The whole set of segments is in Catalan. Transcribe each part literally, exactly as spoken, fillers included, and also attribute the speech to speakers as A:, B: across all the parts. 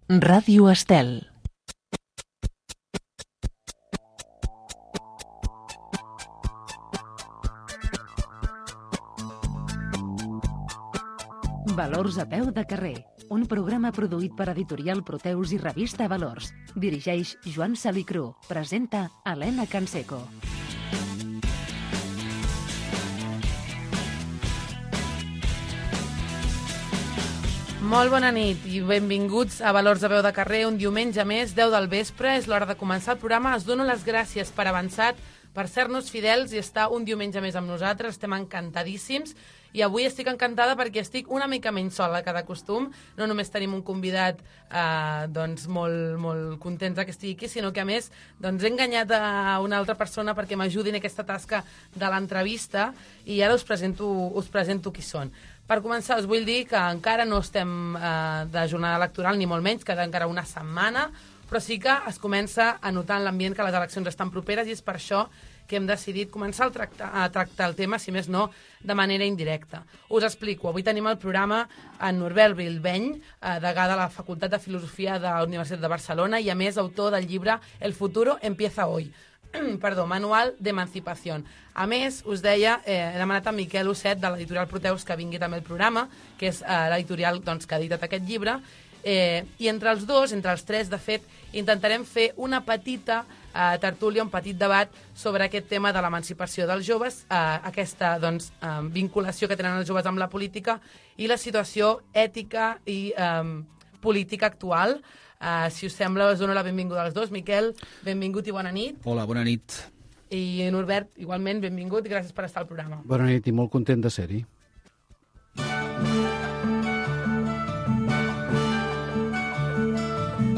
A: Ràdio Estel. Valors a peu de carrer, un programa produït per Editorial Proteus i Revista Valors. Dirigeix Joan Salicru. Presenta Helena Canseco.
B: Molt bona nit i benvinguts a Valors a peu de carrer, un diumenge més, deu del vespre. És l'hora de començar el programa. Us dono les gràcies per avançat, per ser-nos fidels i estar un diumenge més amb nosaltres. Estem encantadíssims. I avui estic encantada perquè estic una mica menys sola que de costum. No només tenim un convidat eh, doncs molt, molt contents que estigui aquí, sinó que a més doncs, he enganyat a una altra persona perquè m'ajudi en aquesta tasca de l'entrevista i ara us presento, us presento qui són. Per començar, us vull dir que encara no estem eh, de jornada electoral, ni molt menys, queda encara una setmana, però sí que es comença a notar en l'ambient que les eleccions estan properes i és per això que hem decidit començar a tractar, a tractar el tema, si més no, de manera indirecta. Us explico. Avui tenim al programa en Norbert Bilbeny, eh, degà de la Facultat de Filosofia de la Universitat de Barcelona i, a més, autor del llibre El futuro empieza hoy. Perdó, Manual d'Emancipació. A més, us deia, eh, he demanat a Miquel Osset, de l'editorial Proteus, que vingui també al programa, que és eh, l'editorial doncs, que ha editat aquest llibre, eh, i entre els dos, entre els tres, de fet, intentarem fer una petita eh, tertúlia, un petit debat sobre aquest tema de l'emancipació dels joves, eh, aquesta doncs, eh, vinculació que tenen els joves amb la política i la situació ètica i eh, política actual. Uh, si us sembla, us dono la benvinguda als dos. Miquel, benvingut i bona nit.
C: Hola, bona nit.
B: I Norbert, igualment, benvingut i gràcies per estar al programa.
D: Bona nit i molt content de ser-hi.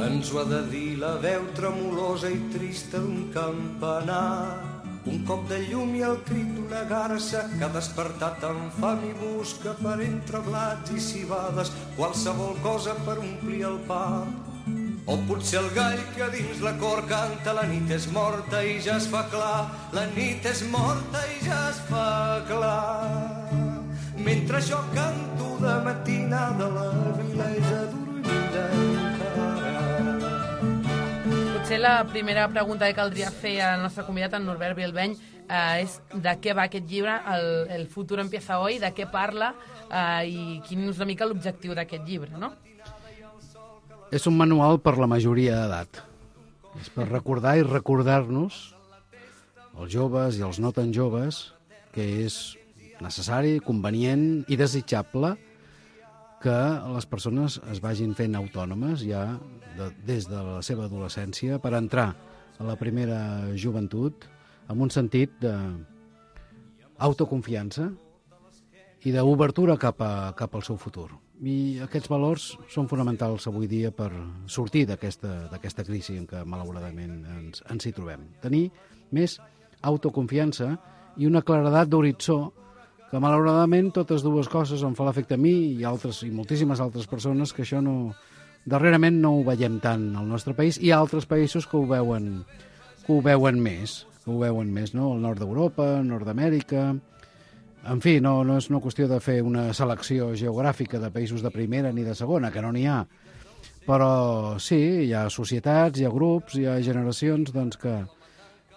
E: Ens ho ha de dir la veu tremolosa i trista d'un campanar, un cop de llum i el crit d'una garça que ha despertat amb fam i busca per entre blats i cibades qualsevol cosa per omplir el pap. O potser el gall que dins la cor canta la nit és morta i ja es fa clar, la nit és morta i ja es fa clar. Mentre jo canto de matinada la vila és adormida encara.
B: Potser la primera pregunta que caldria fer al nostre convidat, en Norbert Bilbeny, eh, és de què va aquest llibre, el, el futur empieza hoy, de què parla eh, i quin és una mica l'objectiu d'aquest llibre, no?
D: És un manual per la majoria d'edat. És per recordar i recordar-nos, els joves i els no tan joves, que és necessari, convenient i desitjable que les persones es vagin fent autònomes ja de, des de la seva adolescència per entrar a la primera joventut amb un sentit d'autoconfiança i d'obertura cap, a, cap al seu futur. I aquests valors són fonamentals avui dia per sortir d'aquesta d'aquesta crisi en què malauradament ens, ens hi trobem. Tenir més autoconfiança i una claredat d'horitzó que malauradament totes dues coses em fa l'efecte a mi i altres i moltíssimes altres persones que això no, darrerament no ho veiem tant al nostre país i altres països que ho veuen, que ho veuen més, que ho veuen més, no? El nord d'Europa, nord d'Amèrica. En fi, no, no és una qüestió de fer una selecció geogràfica de països de primera ni de segona, que no n'hi ha. Però sí, hi ha societats, hi ha grups, hi ha generacions doncs, que,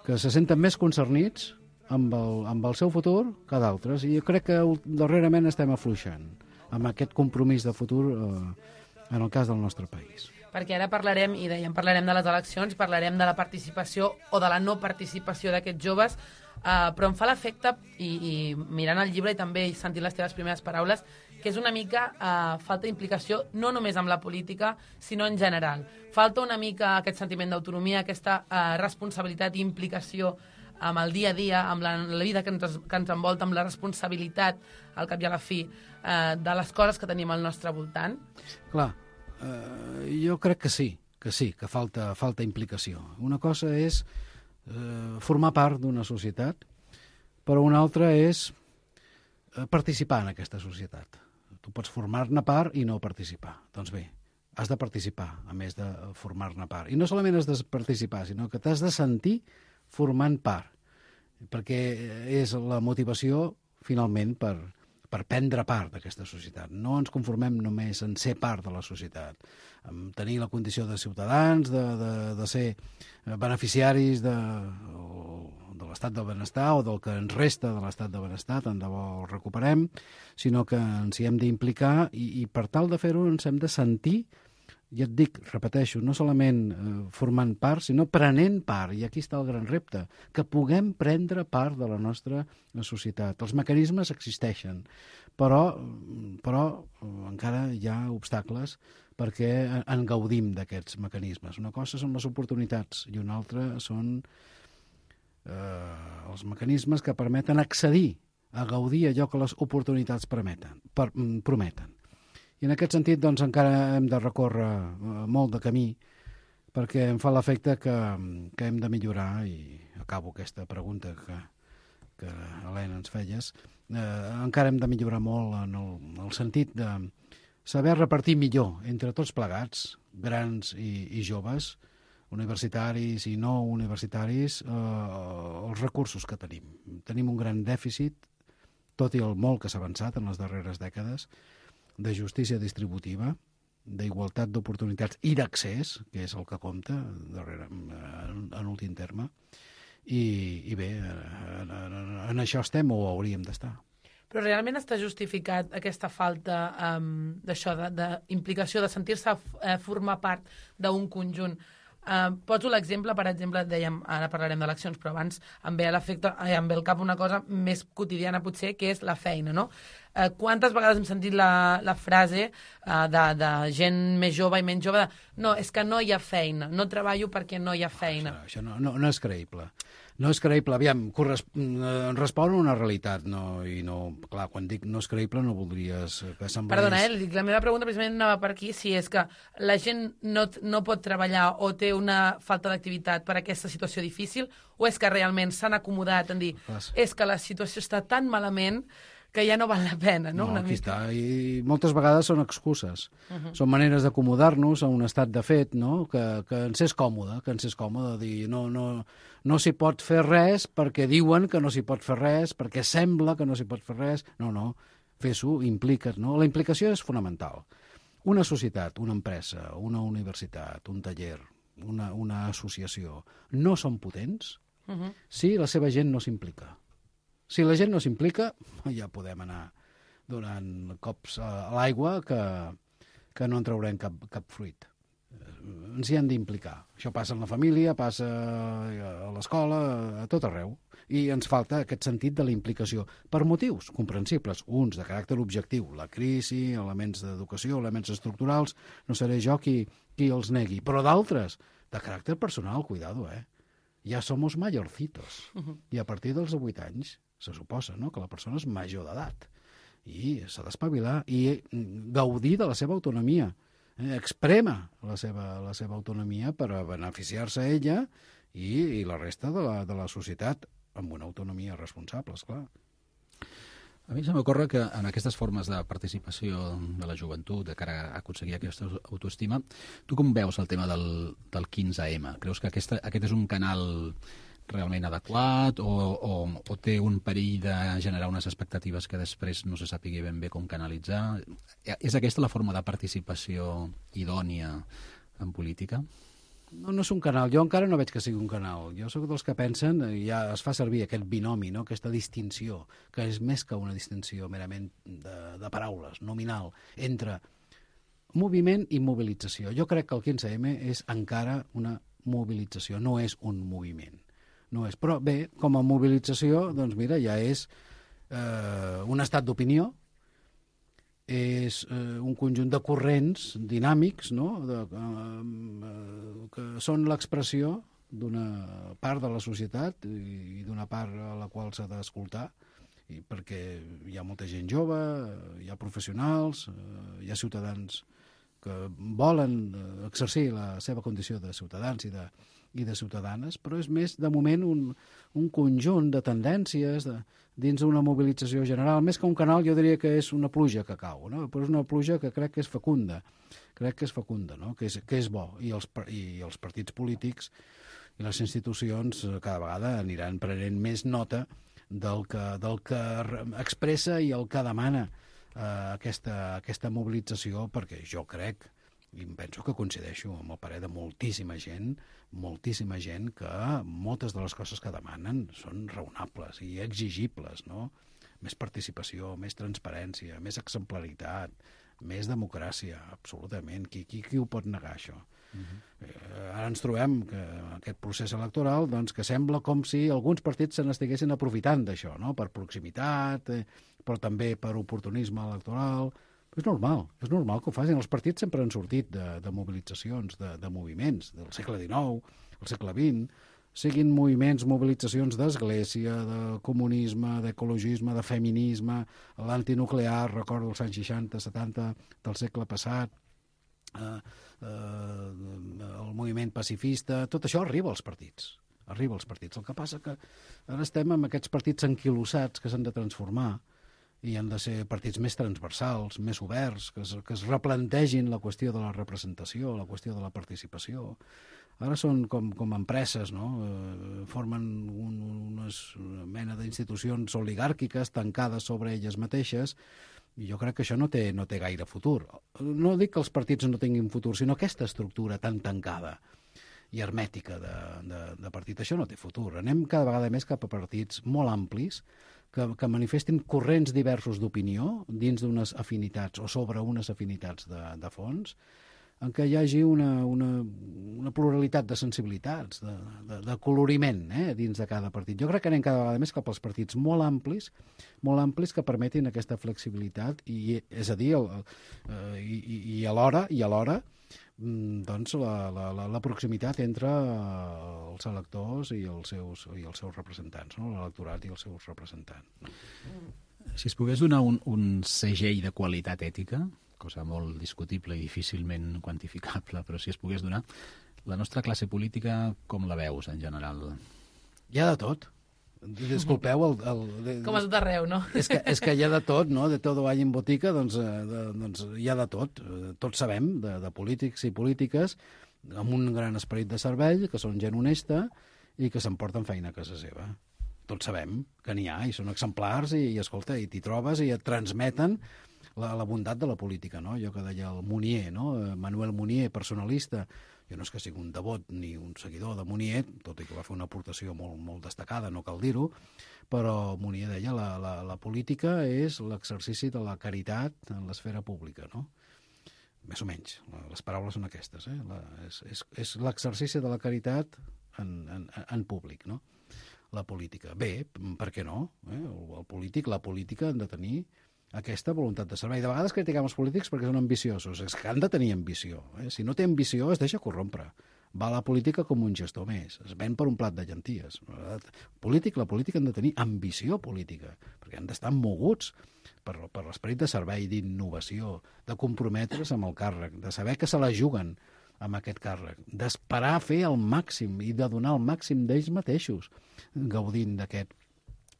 D: que se senten més concernits amb el, amb el seu futur que d'altres. I jo crec que darrerament estem afluixant amb aquest compromís de futur eh, en el cas del nostre país.
B: Perquè ara parlarem, i dèiem, parlarem de les eleccions, parlarem de la participació o de la no participació d'aquests joves, uh, però em fa l'efecte, i, i mirant el llibre i també sentint les teves primeres paraules, que és una mica uh, falta d'implicació no només amb la política, sinó en general. Falta una mica aquest sentiment d'autonomia, aquesta uh, responsabilitat i implicació amb el dia a dia, amb la, la vida que ens, que ens envolta, amb la responsabilitat, al cap i a la fi, uh, de les coses que tenim al nostre voltant.
D: Clar, Uh, jo crec que sí, que sí, que falta, falta implicació. Una cosa és uh, formar part d'una societat, però una altra és uh, participar en aquesta societat. Tu pots formar-ne part i no participar. Doncs bé, has de participar, a més de formar-ne part. I no solament has de participar, sinó que t'has de sentir formant part, perquè és la motivació, finalment, per, per prendre part d'aquesta societat. No ens conformem només en ser part de la societat, en tenir la condició de ciutadans, de, de, de ser beneficiaris de, de l'estat del benestar o del que ens resta de l'estat del benestar, tant de bo el recuperem, sinó que ens hi hem d'implicar i, i per tal de fer-ho ens hem de sentir, ja et dic, repeteixo, no solament eh, formant part, sinó prenent part, i aquí està el gran repte, que puguem prendre part de la nostra societat. Els mecanismes existeixen, però, però encara hi ha obstacles perquè en gaudim d'aquests mecanismes. Una cosa són les oportunitats i una altra són eh, els mecanismes que permeten accedir a gaudir allò que les oportunitats permeten, per, prometen. I en aquest sentit, doncs, encara hem de recórrer molt de camí perquè em fa l'efecte que, que hem de millorar, i acabo aquesta pregunta que, que Helena, ens feies, eh, encara hem de millorar molt en el, en el sentit de saber repartir millor entre tots plegats, grans i, i joves, universitaris i no universitaris, eh, els recursos que tenim. Tenim un gran dèficit, tot i el molt que s'ha avançat en les darreres dècades, de justícia distributiva, d'igualtat d'oportunitats i d'accés, que és el que compta darrere, en, en últim terme, i, i bé, en, en, en això estem o hauríem d'estar.
B: Però realment està justificat aquesta falta um, d'això, d'implicació, de, de sentir-se uh, formar part d'un conjunt? Uh, poso l'exemple, per exemple, dèiem, ara parlarem d'eleccions, però abans em ve a l'efecte, eh, em ve al cap una cosa més quotidiana potser, que és la feina, no? Uh, quantes vegades hem sentit la, la frase uh, de, de gent més jove i menys jove de, no, és que no hi ha feina, no treballo perquè no hi ha feina.
D: Això, això no, no, no és creïble. No és creïble, aviam, respon a una realitat, no, i no, clar, quan dic no és creïble no voldries que semblés...
B: Perdona, eh, dic, la meva pregunta precisament anava per aquí, si és que la gent no, no pot treballar o té una falta d'activitat per aquesta situació difícil, o és que realment s'han acomodat en dir, és que la situació està tan malament que ja no val la pena, no?
D: No,
B: Una
D: aquí
B: mica.
D: està, i moltes vegades són excuses.
B: Uh -huh.
D: Són maneres d'acomodar-nos a un estat de fet, no? Que, que ens és còmode, que ens és còmode dir no, no, no s'hi pot fer res perquè diuen que no s'hi pot fer res, perquè sembla que no s'hi pot fer res. No, no, fes-ho, implica't, no? La implicació és fonamental. Una societat, una empresa, una universitat, un taller, una, una associació, no són potents uh -huh. si la seva gent no s'implica. Si la gent no s'implica, ja podem anar donant cops a l'aigua que, que no en traurem cap, cap fruit. Ens hi hem d'implicar. Això passa en la família, passa a l'escola, a tot arreu. I ens falta aquest sentit de la implicació, per motius comprensibles, uns de caràcter objectiu, la crisi, elements d'educació, elements estructurals, no seré jo qui, qui els negui, però d'altres, de caràcter personal, cuidado, eh? Ja somos mayorcitos. Uh-huh. I a partir dels vuit anys se suposa, no?, que la persona és major d'edat i s'ha d'espavilar i gaudir de la seva autonomia, eh? Exprema la seva, la seva autonomia per a beneficiar-se ella i, i la resta de la, de la societat amb una autonomia responsable, esclar.
C: A mi se m'ocorre que en aquestes formes de participació de la joventut, de cara a aconseguir aquesta autoestima, tu com veus el tema del, del quinze ema? Creus que aquesta, aquest és un canal realment adequat o, o, o té un perill de generar unes expectatives que després no se sàpigui ben bé com canalitzar? És aquesta la forma de participació idònia en política?
D: No, no és un canal. Jo encara no veig que sigui un canal. Jo sóc dels que pensen, ja es fa servir aquest binomi, no?, aquesta distinció, que és més que una distinció merament de, de paraules, nominal, entre moviment i mobilització. Jo crec que el quinze ema és encara una mobilització, no és un moviment. No és. Però bé, com a mobilització, doncs mira, ja és eh, un estat d'opinió, és eh, un conjunt de corrents dinàmics, no?, de, eh, que són l'expressió d'una part de la societat i, i d'una part a la qual s'ha d'escoltar, i perquè hi ha molta gent jove, hi ha professionals, eh, hi ha ciutadans que volen exercir la seva condició de ciutadans i de, i de ciutadanes, però és més, de moment, un, un conjunt de tendències de, dins d'una mobilització general. Més que un canal, jo diria que és una pluja que cau, no? Però és una pluja que crec que és fecunda, crec que és fecunda, no?, que és, que és bo, i els, i els partits polítics i les institucions cada vegada aniran prenent més nota del que, del que expressa i el que demana eh, aquesta, aquesta mobilització, perquè jo crec, i em penso que coincideixo amb el parer de moltíssima gent, moltíssima gent que moltes de les coses que demanen són raonables i exigibles, no? Més participació, més transparència, més exemplaritat, més democràcia, absolutament. Qui, qui, qui ho pot negar, això? Uh-huh. eh, ara ens trobem que aquest procés electoral, doncs, que sembla com si alguns partits se n'estiguessin aprofitant d'això, no? Per proximitat, eh, però també per oportunisme electoral. És normal, és normal que ho facin. Els partits sempre han sortit de, de mobilitzacions, de, de moviments del segle dinou, el segle vint, siguin moviments, mobilitzacions d'església, de comunisme, d'ecologisme, de feminisme, l'antinuclear, recordo els anys seixanta, setanta del segle passat, eh, eh, el moviment pacifista, tot això arriba als partits. Arriba als partits. El que passa que ara estem amb aquests partits anquilosats que s'han de transformar i han de ser partits més transversals, més oberts, que es, que es replantegin la qüestió de la representació, la qüestió de la participació. Ara són com, com empreses, no? Eh, formen un, unes, una mena d'institucions oligàrquiques tancades sobre elles mateixes, i jo crec que això no té, no té gaire futur. No dic que els partits no tinguin futur, sinó aquesta estructura tan tancada i hermètica de, de, de partit. Això no té futur. Anem cada vegada més cap a partits molt amplis, que, que manifestin corrents diversos d'opinió dins d'unes afinitats o sobre unes afinitats de, de fons, en què hi hagi una, una, una pluralitat de sensibilitats, de, de, de coloriment eh, dins de cada partit. Jo crec que anem cada vegada més cap als partits molt amplis, molt amplis que permetin aquesta flexibilitat, i, és a dir, el, el, i, i alhora, i alhora doncs la, la, la, la proximitat entre els electors i els seus, i els seus representants, no? L'electorat i els seus representants.
C: Si es pogués donar un, un segell de qualitat ètica, cosa molt discutible i difícilment quantificable, però si es pogués donar, la nostra classe política com la veus en general?
D: Hi ha de tot. Disculpeu el... el de,
B: com a tot arreu, no?
D: És que, és que hi ha de tot, no? De todo hay en botica, doncs, de, doncs hi ha de tot. Tots sabem de, de polítics i polítiques amb un gran esperit de servei, que són gent honesta i que s'emporten feina a casa seva. Tots sabem que n'hi ha, i són exemplars, i, i escolta, i t'hi trobes i et transmeten la, la bondat de la política, no? Allò que deia el Munier, no? Manuel Munier, personalista. Jo no és que sigui un devot ni un seguidor de Munier, tot i que va fer una aportació molt, molt destacada, no cal dir-ho, però Munier deia la, la, la política és l'exercici de la caritat en l'esfera pública, no? Més o menys, les paraules són aquestes, eh? La, és és, és l'exercici de la caritat en, en, en públic, no? La política. Bé, per què no? Eh? El, el polític, la política han de tenir aquesta voluntat de servei. De vegades critiquem els polítics perquè són ambiciosos. És que han de tenir ambició. Eh? Si no té ambició, es deixa corrompre. Va a la política com un gestor més. Es ven per un plat de llenties. Polític, la política han de tenir ambició política, perquè han d'estar moguts per, per l'esperit de servei, d'innovació, de comprometre's amb el càrrec, de saber que se la juguen amb aquest càrrec, d'esperar fer el màxim i de donar el màxim d'ells mateixos, gaudint d'aquest,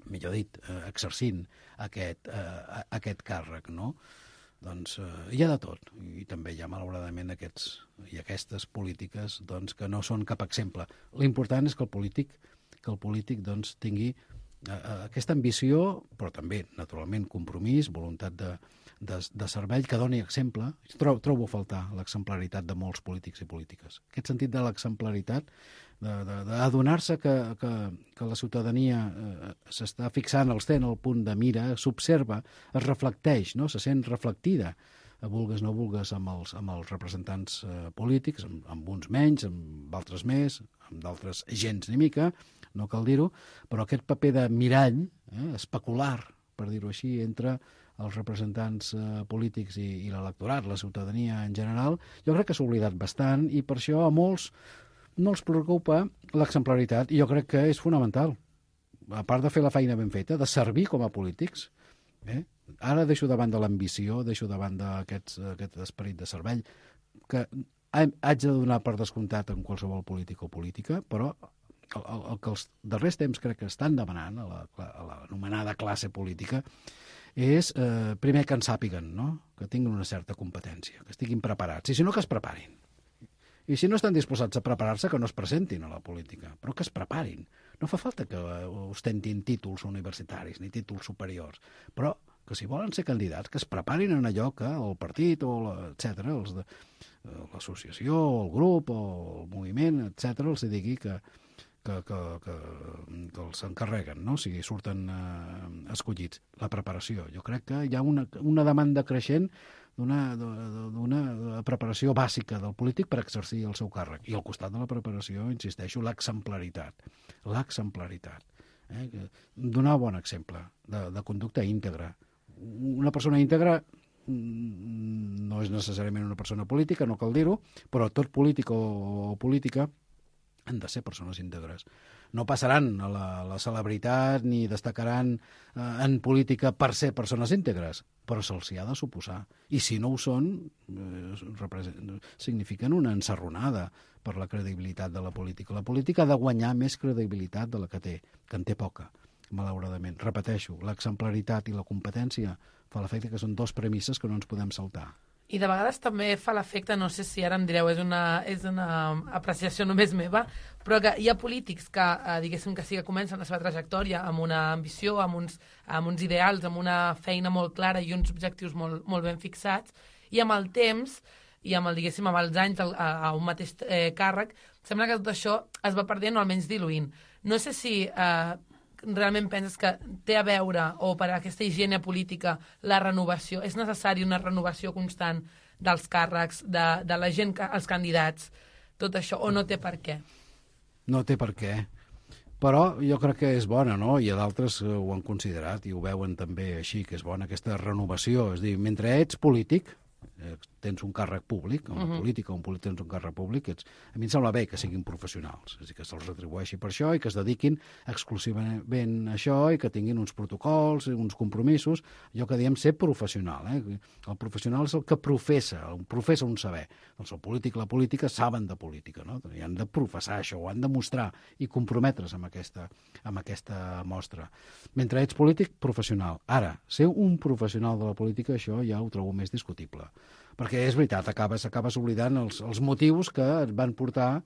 D: millor dit, eh, exercint aquest, eh, aquest càrrec, no? Doncs eh, hi ha de tot, i també hi ha malauradament aquests i aquestes polítiques doncs, que no són cap exemple. L'important és que el polític, que el polític doncs, tingui eh, aquesta ambició, però també, naturalment, compromís, voluntat de, de, de servei, que doni exemple. Trobo, trobo a faltar l'exemplaritat de molts polítics i polítiques. Aquest sentit de l'exemplaritat, d'adonar-se que, que, que la ciutadania eh, s'està fixant, els té en el punt de mira, s'observa, es reflecteix, no? Se sent reflectida, vulgues no vulgues, amb els, amb els representants eh, polítics, amb, amb uns menys, amb altres més, amb d'altres gens ni mica, no cal dir-ho, però aquest paper de mirall, eh, especular, per dir-ho així, entre els representants eh, polítics i, i l'electorat, la ciutadania en general, jo crec que s'ha oblidat bastant, i per això a molts no els preocupa l'exemplaritat, i jo crec que és fonamental, a part de fer la feina ben feta, de servir com a polítics. Eh? Ara deixo davant de l'ambició, deixo davant d'aquest aquest esperit de servei, que haig de donar per descomptat en qualsevol polític o política, però el, el, el que els darrers temps crec que estan demanant a la, a l'anomenada classe política és, eh, primer, que en sàpiguen, no? Que tinguin una certa competència, que estiguin preparats, i si no, que es preparin. I si no estan disposats a preparar-se, que no es presentin a la política, però que es preparin. No fa falta que ostentin títols universitaris ni títols superiors, però que si volen ser candidats, que es preparin en allò que el partit, o la, etcètera, els de, l'associació, el grup, o el moviment, etcètera, els digui que, que, que, que, que els encarreguen, no? O sigui, surten eh, escollits. La preparació. Jo crec que hi ha una, una demanda creixent d'una d'una preparació bàsica del polític per exercir el seu càrrec. I al costat de la preparació, insisteixo, l'exemplaritat. L'exemplaritat. Eh? Donar bon exemple de, de conducta íntegra. Una persona íntegra no és necessàriament una persona política, no cal dir-ho, però tot polític o política han de ser persones íntegres. No passaran a la, la celebritat ni destacaran eh, en política per ser persones íntegres, però se'ls hi ha de suposar. I si no ho són, eh, signifiquen una ensarronada per la credibilitat de la política. La política ha de guanyar més credibilitat de la que té, que en té poca, malauradament. Repeteixo, l'exemplaritat i la competència fa l'efecte que són dos premisses que no ens podem saltar.
B: I de vegades també fa l'efecte, no sé si ara em direu, és una, és una apreciació només meva, però que hi ha polítics que, eh, diguéssim que sí que comencen la seva trajectòria amb una ambició, amb uns, amb uns ideals, amb una feina molt clara i uns objectius molt, molt ben fixats, i amb el temps, i amb, el, diguéssim, amb els anys a, a un mateix eh, càrrec, sembla que tot això es va perdent o almenys diluint. No sé si eh, realment penses que té a veure, o per aquesta higiene política, la renovació, és necessari una renovació constant dels càrrecs, de, de la gent, els candidats, tot això, o no té per què?
D: No té per què, però jo crec que és bona, no? I d'altres ho han considerat i ho veuen també així, que és bona aquesta renovació. És a dir, mentre ets polític, eh, tens un càrrec públic, en la uh-huh. política, un polític tens un càrrec públic, ets, a mi em sembla bé que siguin professionals, és a dir, que se'ls retribueixi per això i que es dediquin exclusivament a això i que tinguin uns protocols, uns compromisos, allò que diem ser professional. Eh? El professional és el que professa, el professa un saber. Doncs el polític i la política saben de política, no? I han de professar això, ho han de mostrar i comprometre's amb aquesta, amb aquesta mostra. Mentre ets polític, professional. Ara, ser un professional de la política, això ja ho trobo més discutible. Perquè és veritat, acabes, acabes oblidant els, els motius que et van portar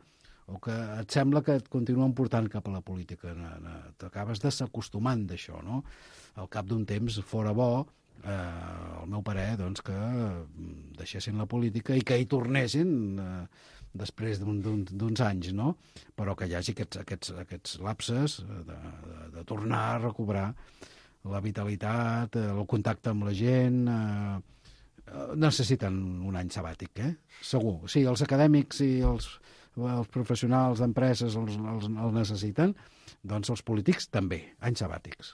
D: o que et sembla que et continuen portant cap a la política. T'acabes desacostumant d'això, no? Al cap d'un temps fora bo, eh, el meu parer, doncs, que deixessin la política i que hi tornessin eh, després d'uns anys, no? Però que hi hagi aquests, aquests, aquests lapses de, de, de tornar a recobrar la vitalitat, el contacte amb la gent. Eh, necessiten un any sabàtic, eh? Segur. Sí, els acadèmics i els, els professionals d'empreses els, els, els necessiten, doncs els polítics també, anys sabàtics.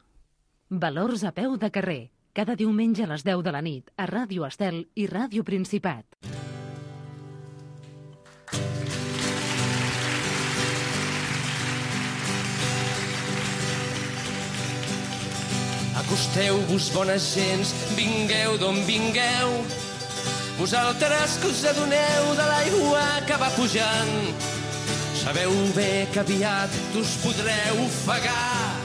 A: Valors a peu de carrer. Cada diumenge a les deu de la nit a Ràdio Estel i Ràdio Principat.
E: Acosteu-vos, bones gents, vingueu d'on vingueu. Vosaltres que us adoneu de l'aigua que va pujant, sabeu bé que aviat us podreu ofegar.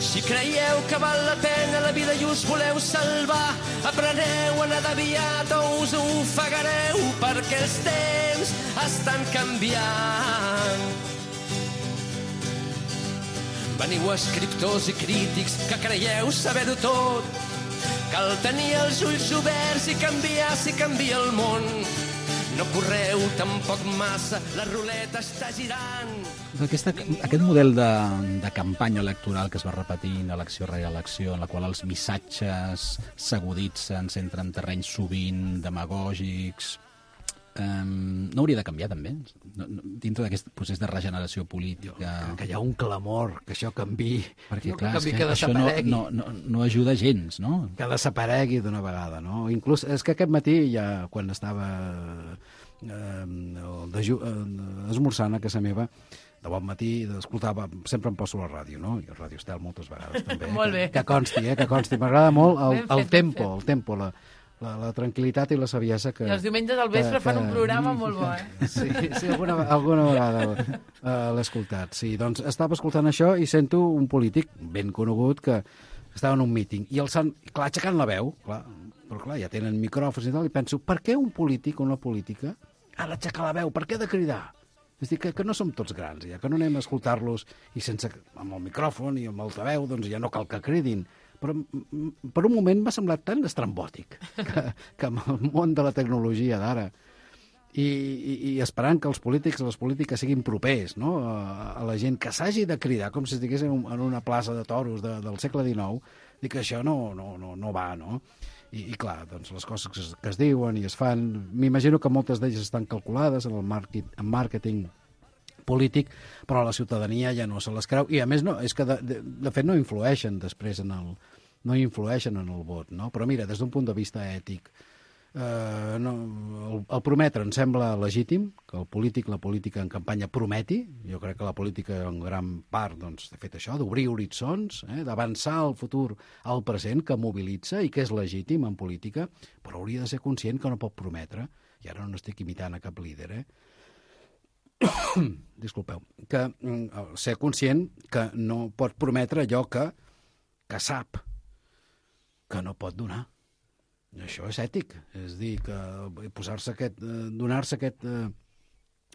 E: Si creieu que val la pena la vida i us voleu salvar, apreneu a nedar aviat o us ofegareu, perquè els temps estan canviant. Veniu escriptors i crítics que creieu saber-ho tot. Cal tenir els ulls oberts i canviar si canvia el món. No correu tampoc massa, la ruleta està girant.
C: Aquesta, aquest model de, de campanya electoral que es va repetint elecció rere elecció, en la qual els missatges s'aguditen, s'entren en terrenys sovint demagògics, Um, no hauria de canviar també no, no, dintre d'aquest procés de regeneració política
D: que, que hi ha un clamor que això canvi,
C: perquè
D: no,
C: clar,
D: que, canvi,
C: que
D: que
C: això no, no, no, no ajuda gens, no?
D: Que desaparegui d'una vegada, no? Inclús és que aquest matí ja quan estava eh, deju, eh, esmorzant a casa meva de bon matí, escoltava, sempre em poso la ràdio, no? I a Ràdio Estel moltes vegades també.
B: Molt bé.
D: Que, que consti, eh? Que consti. M'agrada molt el,
B: ben fet,
D: el tempo, el tempo, la La, la tranquil·litat i la saviesa que...
B: I els diumenges al vespre que, fan un programa que, molt bo, eh?
D: Sí, sí alguna, alguna vegada uh, l'he escoltat. Sí, doncs estava escoltant això i sento un polític ben conegut que estava en un míting i el sant, clar, aixecant la veu, clar, però clar, ja tenen micròfons i tal, i penso, per què un polític o una política ara aixecar la veu, per què de cridar? És dir, que, que no som tots grans, ja que no anem a escoltar-los i sense, amb el micròfon i amb altaveu, doncs ja no cal que cridin. Però per un moment m'ha semblat tan estrambòtic que, que amb el món de la tecnologia d'ara i, i, i esperant que els polítics i les polítiques siguin propers, no? a, a la gent, que s'hagi de cridar com si estigués en, en una plaça de toros de, del segle dinou, dic que això no, no, no, no va, no? I, i clar, doncs les coses que es, que es diuen i es fan, m'imagino que moltes d'elles estan calculades en el màrqueting, en màrqueting polític, però la ciutadania ja no se les creu, i a més no, és que de, de, de fet no influeixen després en el, no influeixen en el vot, no? Però mira, des d'un punt de vista ètic, eh, no, el, el prometre em sembla legítim, que el polític, la política en campanya prometi, jo crec que la política en gran part, doncs, de fet això, d'obrir horitzons, eh, d'avançar el futur al present, que mobilitza i que és legítim en política, però hauria de ser conscient que no pot prometre, i ara no estic imitant a cap líder, eh? Disculpeu, que mm, ser conscient que no pot prometre allò que, que sap que no pot donar. I això és ètic, és dir, que posar-se aquest, eh, donar-se aquest, eh,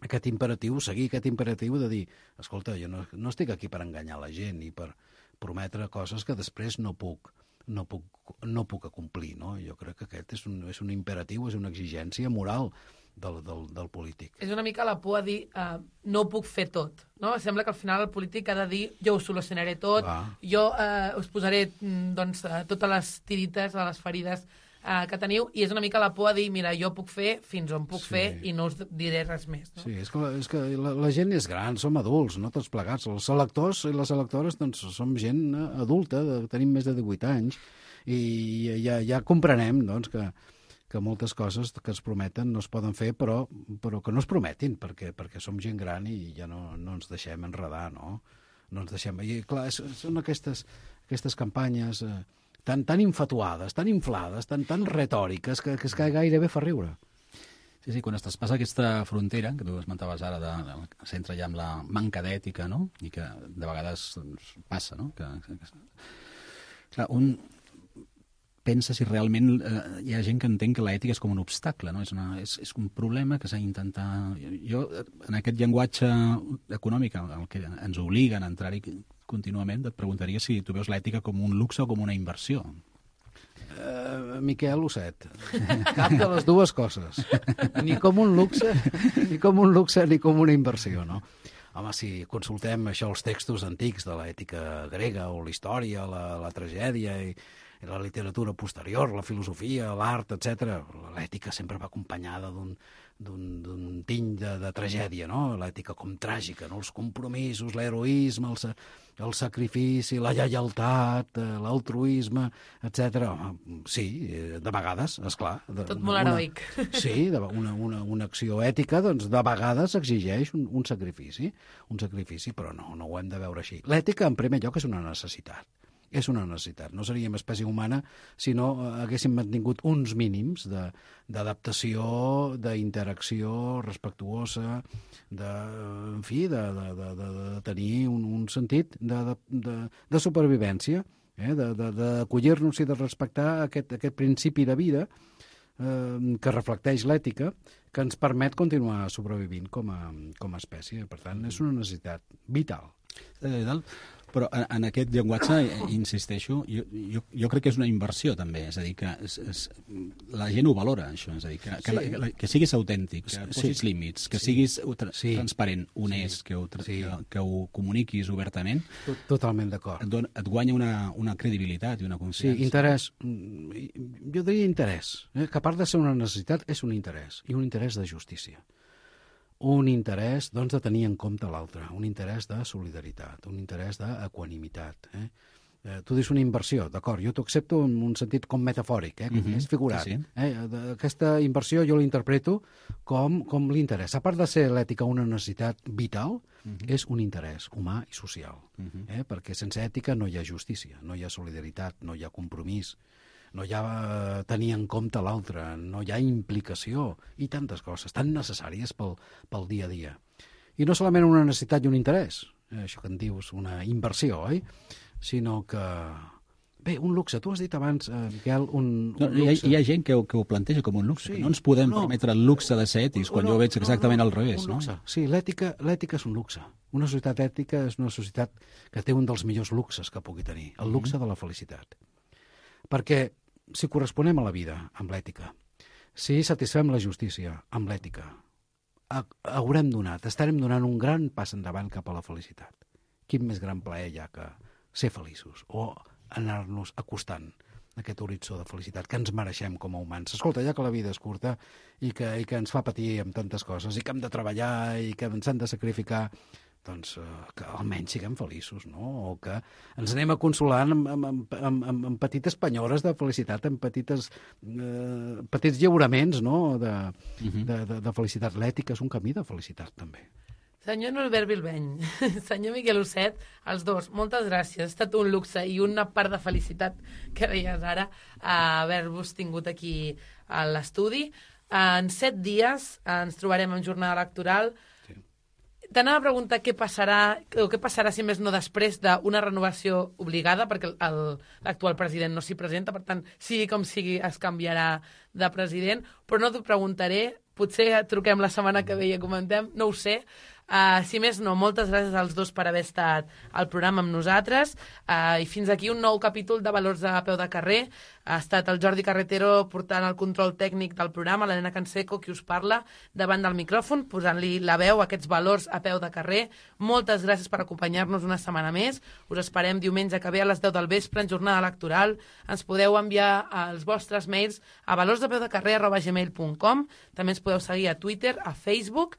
D: aquest imperatiu, seguir aquest imperatiu de dir, escolta, jo no, no estic aquí per enganyar la gent i per prometre coses que després no puc, no puc, no puc acomplir, no? Jo crec que aquest és un, és un imperatiu, és una exigència moral del, del, del polític.
B: És una mica la por a dir uh, no ho puc fer tot, no? Sembla que al final el polític ha de dir jo ho solucionaré tot,
D: Va.
B: jo uh, us posaré doncs, uh, totes les tirites a les ferides uh, que teniu, i és una mica la por a dir mira, jo puc fer fins on puc
D: Sí.
B: fer i no us diré res més, no?
D: Sí, és que, la, és que la, la gent és gran, som adults, no tots plegats. Els electors i les electores doncs, som gent eh, adulta, de, tenim més de divuit anys, i ja, ja comprenem doncs, que, que moltes coses que es prometen no es poden fer, però, però que no es prometin, perquè, perquè som gent gran i ja no, no ens deixem enredar, no? No ens deixem... I clar, són aquestes, aquestes campanyes eh, tan, tan infatuades, tan inflades, tan, tan retòriques, que, que, és que gairebé fa riure.
C: Sí, sí, quan es traspassa aquesta frontera, que tu esmentaves ara, de, de, s'entra ja amb la manca d'ètica, no? I que de vegades doncs, passa, no? Que, que, que... Clar, un pensa si realment eh, hi ha gent que entén que l'ètica és com un obstacle, no? És, una, és, és un problema que s'ha d'intentar... Jo, en aquest llenguatge econòmic, el que ens obliguen a entrar-hi contínuament, et preguntaria si tu veus l'ètica com un luxe o com una inversió.
D: Uh, Miquel Osset, cap de les dues coses, ni com un luxe ni com un luxe ni com una inversió, no? Home, si consultem això, els textos antics de l'ètica grega o la història, la, la tragèdia i, i la literatura posterior, la filosofia, l'art, etcètera, l'ètica sempre va acompanyada d'un d'un tiny de, de tragèdia, no? L'ètica com tràgica, no? Els compromisos, l'heroisme, el, sa, el sacrifici, la lleialtat, l'altruisme, etcètera. Sí, de vegades, esclar. De,
B: Tot molt heroic.
D: Sí, de, una, una, una acció ètica, doncs, de vegades exigeix un, un sacrifici, un sacrifici, però no, no ho hem de veure així. L'ètica, en primer lloc, és una necessitat. És una necessitat. No seríem espècie humana si no haguéssim mantingut uns mínims d'adaptació, d'interacció respectuosa, de, en fi, de, de, de, de tenir un, un sentit de, de, de supervivència, eh? d'acollir-nos i de respectar aquest, aquest principi de vida eh, que reflecteix l'ètica, que ens permet continuar sobrevivint com a, com a espècie. Per tant, és una necessitat vital.
C: Però en, en aquest llenguatge, insisteixo, jo, jo, jo crec que és una inversió també, és a dir, que és, és, la gent ho valora, això, és a dir, que, que,
D: Sí.
C: la, que siguis autèntic, que posis
D: Sí.
C: límits, que
D: Sí.
C: siguis tra
D: Sí.
C: transparent, honest,
D: Sí.
C: que, ho tra
D: Sí.
C: que, que ho comuniquis obertament,
D: Tot, totalment d'acord.
C: et, dona, et guanya una, una credibilitat i una
D: Sí,
C: confiança.
D: interès. Mm, Jo diria interès, eh? Que a part de ser una necessitat, és un interès, i un interès de justícia. Un interès, doncs, de tenir en compte l'altre, un interès de solidaritat, un interès d'equanimitat. Eh? Eh, tu dius una inversió, d'acord, jo t'ho accepto en un sentit com metafòric, eh? Com
C: Mhm,
D: més figurat.
C: sí, sí.
D: Eh? Aquesta inversió jo l'interpreto com, com l'interès. A part de ser l'ètica una necessitat vital,
C: Mhm.
D: és un interès humà i social.
C: Mhm.
D: Eh? Perquè sense ètica no hi ha justícia, no hi ha solidaritat, no hi ha compromís, no hi ha tenir en compte l'altre, no hi ha implicació i tantes coses tan necessàries pel, pel dia a dia. I no solament una necessitat i un interès, eh, això que en dius una inversió, oi? Sinó que Bé, un luxe. Tu has dit abans, eh, Miquel, un,
C: No,
D: un
C: hi, ha,
D: luxe.
C: hi ha gent que ho, que ho planteja com un luxe,
D: Sí.
C: que no ens podem
D: No.
C: permetre el luxe de ser ètics, quan
D: No,
C: jo ho veig
D: no,
C: exactament
D: no,
C: al revés,
D: un
C: no?
D: luxe. Sí, l'ètica l'ètica és un luxe. Una societat ètica és una societat que té un dels millors luxes que pugui tenir, el luxe de la felicitat. Perquè si corresponem a la vida amb l'ètica, si satisfem la justícia amb l'ètica, ha- haurem donat, estarem donant un gran pas endavant cap a la felicitat. Quin més gran plaer hi ha que ser feliços o anar-nos acostant a aquest horitzó de felicitat que ens mereixem com a humans. Escolta, ja que la vida és curta i que, i que ens fa patir amb tantes coses i que hem de treballar i que ens han de sacrificar, doncs eh, que almenys siguem feliços, no? O que ens anem a consolant amb, amb, amb, amb, amb, amb petites penyores de felicitat, amb petites, eh, petits lliuraments, no?, de, de, de, de felicitat. L'ètica és un camí de felicitat, també.
B: Senyor Norbert Bilbeny, senyor Miquel Ucet, els dos, moltes gràcies. Ha estat un luxe i una part de felicitat que deies ara haver-vos tingut aquí a l'estudi. En set dies ens trobarem en jornada electoral. T'anava a preguntar què passarà, o què passarà, si més no, després d'una renovació obligada, perquè el- l'actual president no s'hi presenta, per tant, sigui com sigui, es canviarà de president, però no t'ho preguntaré, potser truquem la setmana que ve i comentem, no ho sé. Uh, si més no, moltes gràcies als dos per haver estat al programa amb nosaltres, uh, i fins aquí un nou capítol de Valors a peu de carrer. Ha estat el Jordi Carretero portant el control tècnic del programa, l'Helena Canseco, qui us parla, davant del micròfon, posant-li la veu a aquests valors a peu de carrer. Moltes gràcies per acompanyar-nos una setmana més. Us esperem diumenge que ve a les deu del vespre en jornada electoral. Ens podeu enviar els vostres mails a valorsdepeudecarrer arroba gmail punt com. També ens podeu seguir a Twitter, a Facebook,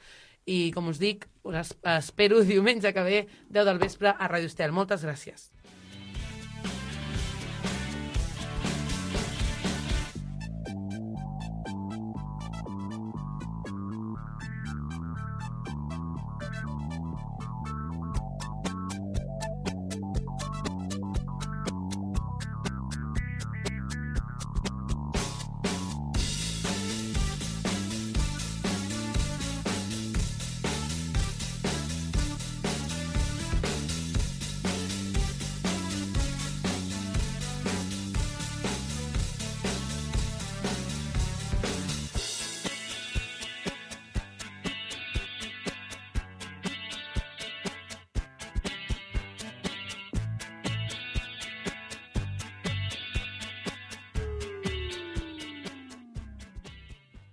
B: i, com us dic, us espero diumenge que ve, deu del vespre, a Ràdio Estel. Moltes gràcies.